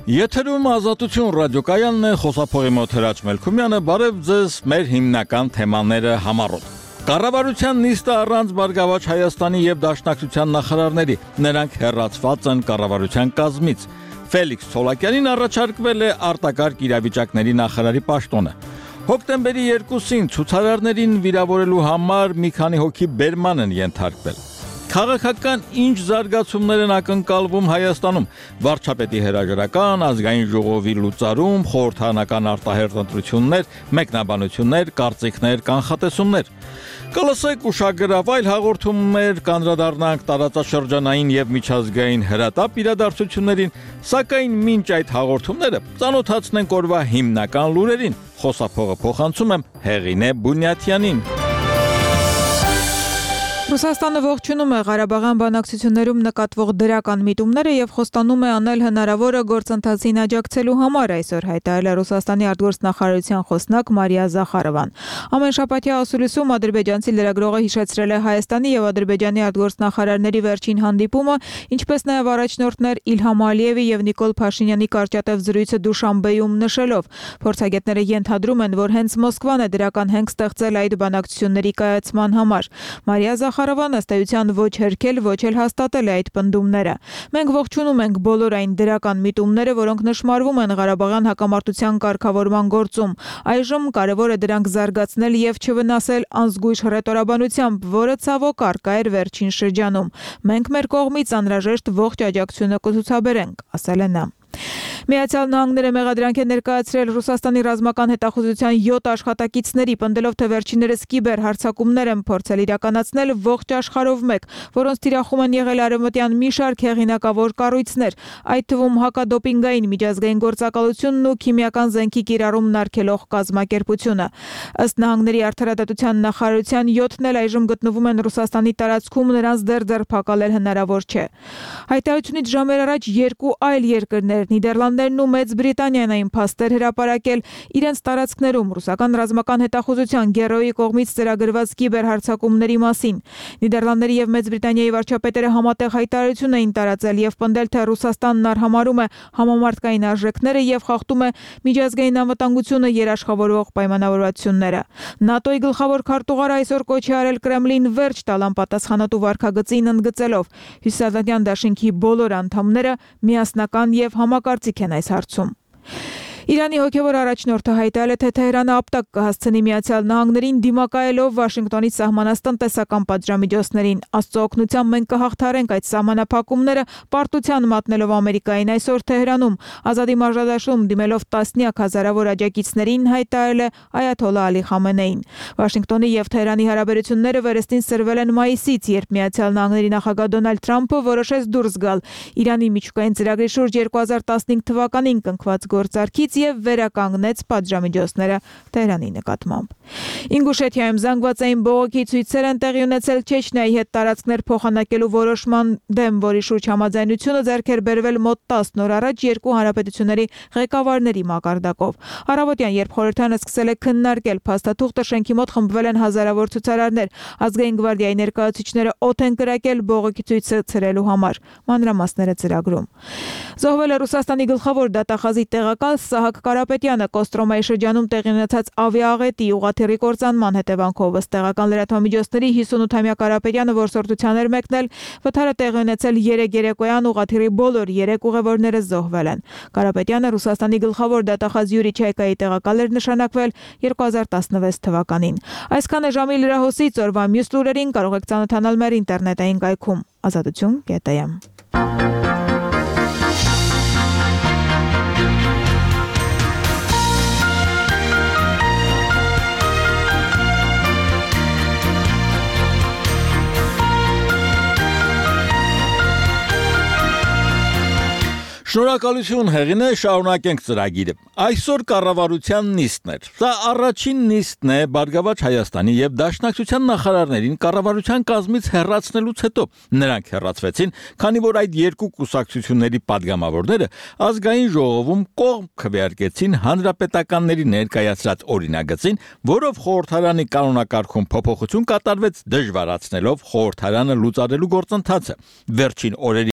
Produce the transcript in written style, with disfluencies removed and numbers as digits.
Եթերում Ազատություն ռադիոկայանն է, խոսափողի մոտ Հրաչ Մելքումյանը, բարև ձեզ մեր հիմնական թեմաները համառոտ։ Կառավարության նիստը առանց Բարգավաճ Հայաստանի եւ Դաշնակցության նախարարների, նրանք հեռացված են կառավարության կազմից։ Ֆելիքս Ցոլակյանին առաջարկվել է արտակարգ իրավիճակների նախարարի պաշտոնը։ Հոկտեմբերի 2-ին ցուցարարներին վիրավորելու համար մի քանի հոգի բերման են ենթարկվել։ Քաղաքական ինչ զարգացումներ են ակնկալվում Հայաստանում, վարչապետի հրաժարական, ազգային ժողովի լուծարում, խորհրդարանական արտահերթ ընտրություններ, մեկնաբանություններ, կարծիքներ, կանխատեսումներ։ Կլսեք ուշագրավ այլ հաղորդումներ, կանդրադառնանք տարածաշրջանային եւ միջազգային հրատապ իրադարձություններին, սակայն մինչ այդ հաղորդումները ծանոթացնենք օրվա հիմնական լուրերին։ Խոսափողը փոխանցում եմ Հեղինե Բունյաթյանին։ Ռուսաստանը ողջունում է Ղարաբաղյան բանակցություններում նկատվող դրական միտումները եւ խոստանում է անել հնարավորը գործընթացին աջակցելու համար, այսօր հայտարարել է Ռուսաստանի արտգործնախարարության խոսնակ Մարիա Զախարովան։ Ամենշաբաթյա ասուլիսում ադրբեջանցի լրագրողը հիշեցրել է Հայաստանի եւ Ադրբեջանի արտգործնախարարների վերջին հանդիպումը, ինչպես նաեւ առաջնորդներ Իլհամ Ալիևի եւ Նիկոլ Փաշինյանի կարճատև զրույցը Դուշանբեում նշելով։ Փորձագետները ենթադրում են, որ հենց Մոսկվան է դրական հենք ստեղծել այդ բանակցությունների կայացման համար։ Մարիա Զախարովանը ըստ էության ոչ հերքել, ոչ էլ հաստատել է այդ պնդումները։ Մենք ողջունում ենք բոլոր այն դրական միտումները, որոնք նշмарվում են Ղարաբաղյան հակամարտության կարգավորման գործում։ Այժմ կարևոր է դրանք զարգացնել եւ չվնասել անզգույշ հռետորաբանությամբ, որը ցավոք առկա էր վերջին շրջանում։ Մենք մեր կողմից անհրաժեշտ ողջ աջակցությունը կցուցաբերենք, ասել է նա։ Միացյալ Նահանգները մեղադրանք է ներկայացրել Ռուսաստանի ռազմական հետախուզության 7 աշխատակիցների, պնդելով, թե վերջիններս կիբեր հարձակումներ են փորձել իրականացնել ողջ աշխարհով մեկ, որոնց թիրախում են եղել արևմտյան մի շարք հեղինակավոր կառույցներ, այդ թվում հակադոպինգային միջազգային գործակալությունն ու քիմիական զենքի կիրառումն արգելող կազմակերպությունը։ Ըստ Նահանգների արդարադատության նախարարության 7-ն էլ այժմ գտնվում են Ռուսաստանի տարածքում, նրանց դեռ ձերբակալել հնարավոր չէ։ Հայտարարությունից ժամեր առաջ երկու այլ երկրներ Նիդերլանդներն ու Մեծ Բրիտանիան այն փաստեր հրապարակել իրենց տարածքներում ռուսական ռազմական հետախուզության գերոյի կողմից ծրագրված կիբերհարձակումների մասին։ Նիդերլանդների եւ Մեծ Բրիտանիայի վարչապետերը համատեղ հայտարարություն էին տարածել եւ պնդել, թե Ռուսաստանն արհամարհում է համամարտկային արժեքները եւ խախտում է միջազգային անվտանգությունը երաշխավորող պայմանավորվածությունները։ ՆԱՏՕ-ի գլխավոր քարտուղարը այսօր կոչ է արել Կրեմլին վերջ տալ անպատասխանատու վարքագծին ընդգծելով. Հյուսիսատլանտյան դաշինքի բոլոր անդամները միասնական եւ համակարծիք են այս հարցում։ Իրանի հոգևոր առաջնորդը հայտարարել է, թե Թեհրանը ապտակ կհասցնի Միացյալ Նահանգներին դիմակայելով Վաշինգտոնից սահմանած տնտեսական պատժամիջոցներին։ Աստծո օգնությամբ մենք կհաղթարենք այդ սահմանափակումները, պարտության մատնելով Ամերիկային այսօր Թեհրանում, ազատի մարզադաշտում դիմելով տասնյակ հազարավոր աջակիցներին, հայտարարել է այաթոլլա Ալի Խամենեին։ Վաշինգտոնի եւ Թեհրանի հարաբերությունները վերստին սրվել են մայիսից, երբ Միացյալ Նահանգների նախագահ Դոնալդ Թրամփը որոշեց դուրս գալ Իրանի միջուկային ծրագրի շուրջ 2015 թվականին կնքված գործարքից եւ վերականգնեց պատժամիջոցները Թեհրանի նկատմամբ։ Ինգուշեթիայում զանգվածային բողոքի ցույցեր են տեղի ունեցել Չեչնիայի հետ տարածքներ փոխանակելու որոշման դեմ, որի շուրջ համաձայնությունը ձեռք էր բերվել մոտ 10 օր առաջ երկու հանրապետությունների ղեկավարների մակարդակով։ Առավոտյան, երբ խորհրդարանը սկսել է քննարկել փաստաթուղթը, շենքի մոտ խմբվել են հազարավոր ցուցարարներ։ Ազգային գվարդիայի ներկայացուցիչները օդ են կրակել բողոքի ցույցը ցրելու համար։ Մանրամասները ծրագրում։ Զոհվել է Ռուսաստանի գլխավոր դատախազի տեղակալ Սահակ Կարապետյանը Կոստրոմայի շրջանում տեղի ունեցած ավիաաղետի ուղղաթիռի կործանման հետևանքով, ըստ տեղական լրատվամիջոցների 58-ամյա Կարապետյանը որսորդության էր մեկնել, վթարը տեղի ունեցել 3 երեկոյան, ուղղաթիռի բոլոր 3 ուղևորները զոհվել են։ Կարապետյանը Ռուսաստանի գլխավոր դատախազ Յուրի Չայկայի տեղակալ էր նշանակվել 2016 թվականին։ Այսքան է ժամի լրահոսից, օրվա մյուս լուրերին կարող եք ծանոթանալ մեր ինտերնետային կայքում azatutun.am։ Շնորհակալություն Հեղինե, շարունակենք ծրագիրը։ Այսօր կառավարության նիստն էր։ Սա առաջին նիստն է Բարգավաճ Հայաստանի եւ Դաշնակցության նախարարներին կառավարության կազմից հեռացնելուց հետո։ Նրանք հեռացվեցին, քանի որ այդ երկու կուսակցությունների падգամավորները ազգային ժողովում կողմ քվեարկեցին հանրապետականների ներկայացրած օրինագծին, որով խորհրդարանի կանոնակարգում փոփոխություն կատարվեց, դժվարացնելով խորհրդարանը լուծարելու գործընթացը։ Վերջին օրերի